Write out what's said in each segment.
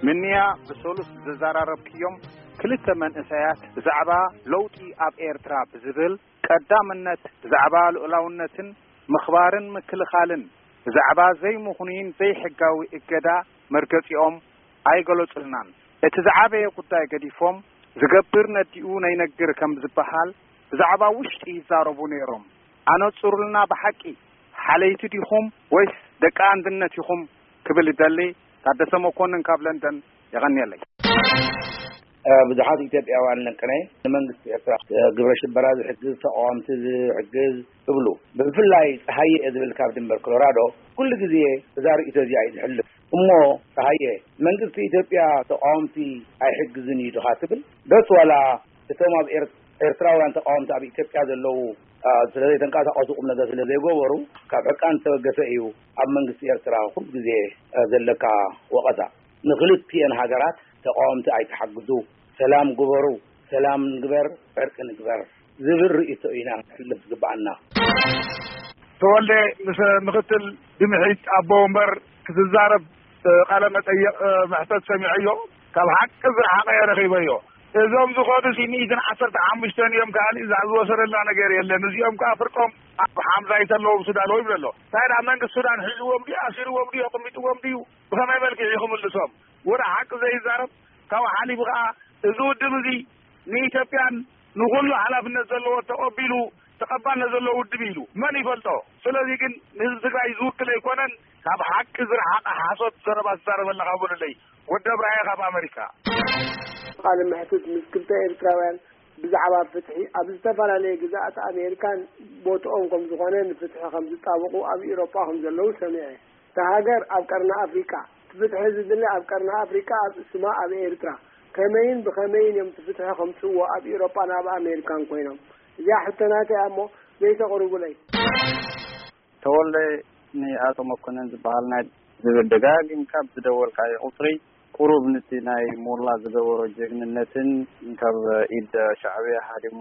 ምንያ ብሰሉስ ዘዘራረብክዮም ክልተ መንእሰያት ብዛዕባ ለውጢ ኣብ ኤርትራ ብዝብል ቀዳምነት ብዛዕባ ልኡላውነትን ምኽባርን ምክልኻልን ብዛዕባ ዘይምኽኑይን ዘይሕጋዊ እገዳ መርገጺኦም ኣይገለጹልናን። እቲ ዝዓበየ ጉዳይ ገዲፎም ዝገብር ነዲኡ ነይነግር ከም ዝበሃል ብዛዕባ ውሽጢ ይዛረቡ ነይሮም። ኣነጹሩልና ብሓቂ ሓለይቲ ዲኹም ወይስ ደቂ ኣንድነት ኢኹም ክብል ይደሊ። ታደሰ መኮንን ካብ ለንደን። የቐንየለይ። ብዙሓት ኢትዮጵያውያን ለንቅነ ንመንግስቲ ኤርትራ ግብረ ሽበራ ዝሕግዝ ተቃወምቲ ዝሕግዝ ትብሉ። ብፍላይ ፀሃየ ዝብል ካብ ድንበር ኮሎራዶ ኩሉ ግዜ እዛ ርእቶ እዚኣ እዩ ዝሕልፍ። እሞ ፀሃየ መንግስቲ ኢትዮጵያ ተቃወምቲ ኣይሕግዝን እዩ ድኻ ትብል ዶስ ዋላ እቶም ኣብ ኤርትራውያን ተቃወምቲ ኣብ ኢትዮጵያ ዘለዉ ስለዘይተንቀሳቀሱ ቁም ነገር ስለዘይገበሩ ካብ ሕቃን ዝተበገሰ እዩ ኣብ መንግስቲ ኤርትራ ኩሉ ግዜ ዘለካ ወቀሳ። ንክልቲኤን ሃገራት ተቃወምቲ ኣይትሓግዙ፣ ሰላም ግበሩ፣ ሰላም ንግበር፣ ዕርቂ ንግበር ዝብል ርእይቶ ኢና ክሕልፍ ዝግብኣና። ተወልደ ምስ ምክትል ድምሒት ኣቦ ወንበር ክትዛረብ ቃለ መጠየቅ መሕተት ሰሚዐዮ። ካብ ሓቂ ዝረሓቀ እየ ረኺበዮ። እዞም ዝኾኑ ሲ ሚእትን ዓሰርተ ሓሙሽተን እዮም ከኣ እዛ ዝወሰደልና ነገር የለን። እዚኦም ከኣ ፍርቆም ኣብ ሓምዛ ይተለዎም ሱዳን ወይ ብለሎ እንታይ ደኣ መንግስቲ ሱዳን ሒዝዎም ድዩ ኣሲርዎም ድዩ ኣቕሚጥዎም ድዩ ብኸመይ መልክዕ እዩ ክምልሶም? ወደ ሓቂ ዘይዛረብ ካብ ሓሊፉ ከኣ እዚ ውድብ እዚ ንኢትዮጵያን ንኹሉ ሓላፍነት ዘለዎ ተቐቢሉ ተቐባልነት ዘለዎ ውድብ ኢሉ መን ይፈልጦ? ስለዚ ግን ንህዝቢ ትግራይ ዝውክል ኣይኮነን። ካብ ሓቂ ዝረሓቐ ሓሶት ዘረባ ትዛረብ ኣለኻ በሉለይ። ወዲ ኣብርሃየ ካብ ኣመሪካ። ቃለ መሕትት ምስ ክልተ ኤርትራውያን ብዛዕባ ፍትሒ ኣብ ዝተፈላለየ ግዝኣት ኣሜሪካን ቦትኦም ከም ዝኾነ ንፍትሒ ከም ዝጣበቑ ኣብ ኢሮጳ ከም ዘለዉ ሰሚዐ። እታ ሃገር ኣብ ቀርኒ ኣፍሪቃ እቲ ፍትሒ ዝድለ ኣብ ቀርኒ ኣፍሪቃ ኣብ ስማ ኣብ ኤርትራ ከመይን ብኸመይን እዮም እቲ ፍትሒ ከምጽእዎ ኣብ ኢሮጳን ኣብ ኣሜሪካን ኮይኖም? እዚኣ ሕቶ ናተይ እያ እሞ ዘይተቕርቡለይ። ተወልደ ንኣቶ መኮነን ዝበሃል ናይ ዝብል ደጋጊምካ ብዝደወልካዮ ቁፅሪ ቁሩብ ንቲ ናይ ሞላ ዝገበሮ ጀግንነትን ካብ ኢድ ሻዕብያ ሃዲሙ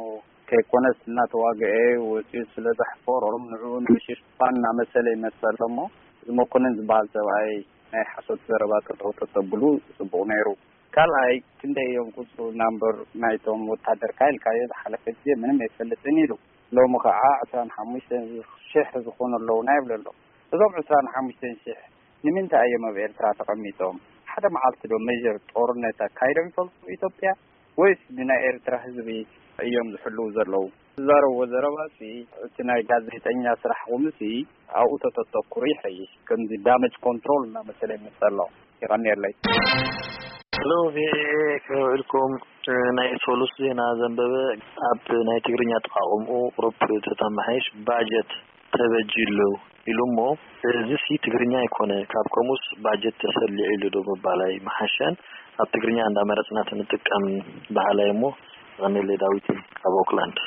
ከይኮነስ እናተዋግአ ወፂኡ ስለ ዘሕፈሮም ንዕኡ ንምሽፋን እናመሰለ ይመፀ ኣሎ እሞ እዚ መኮነን ዝበሃል ሰብኣይ ናይ ሓሶት ዘረባ ጠጠው ተተብሉ ፅቡቅ ነይሩ። ካልኣይ ክንደይ እዮም ቁፅሩ ናምበር ናይቶም ወታደርካ ኢልካዮ ዝሓለፈ ግዜ ምንም ኣይፈልጥን ኢሉ ሎሚ ከዓ ዕስራን ሓሙሽተን ሽሕ ዝኾኑ ኣለውና ይብሉ ኣሎ። እዞም ዕስራን ሓሙሽተን ሽሕ ንምንታይ እዮም ኣብ ኤርትራ ተቐሚጦም? ሓደ መዓልቲ ዶ ሜጀር ጦርነት ኣካይዶም ይፈልጡ ኢትዮጵያ ወይስ ንናይ ኤርትራ ህዝቢ እዮም ዝሕልው ዘለዉ? ዝዛረብዎ ዘረባ ሲ እቲ ናይ ጋዜጠኛ ስራሕ ቁምሲ ኣብኡ ተተተኩሩ ይሐይሽ። ከምዚ ዳመጅ ኮንትሮል እናመሰለ ይመፀ ኣሎ። ይቐንየለይ። ሄሎ ቪኦኤ ከመይ ውዒልኩም? ናይ ሶሉስ ዜና ዘንበበ ኣብ ናይ ትግርኛ ኣጠቓቕምኡ ቁሩብ ተተማሓይሽ ባጀት ተበጅዩ ኣሎ ኢሉ እሞ እዚሲ ትግርኛ ኣይኮነ ካብ ከምኡስ ባጀት ተሰሊዑ ኢሉ ዶ ምባል ኣይምሓሸን? ኣብ ትግርኛ እንዳመረፅና ተንጥቀም በሃላይ እሞ። የቐንየለይ። ዳዊት ካብ ኦክላንድ።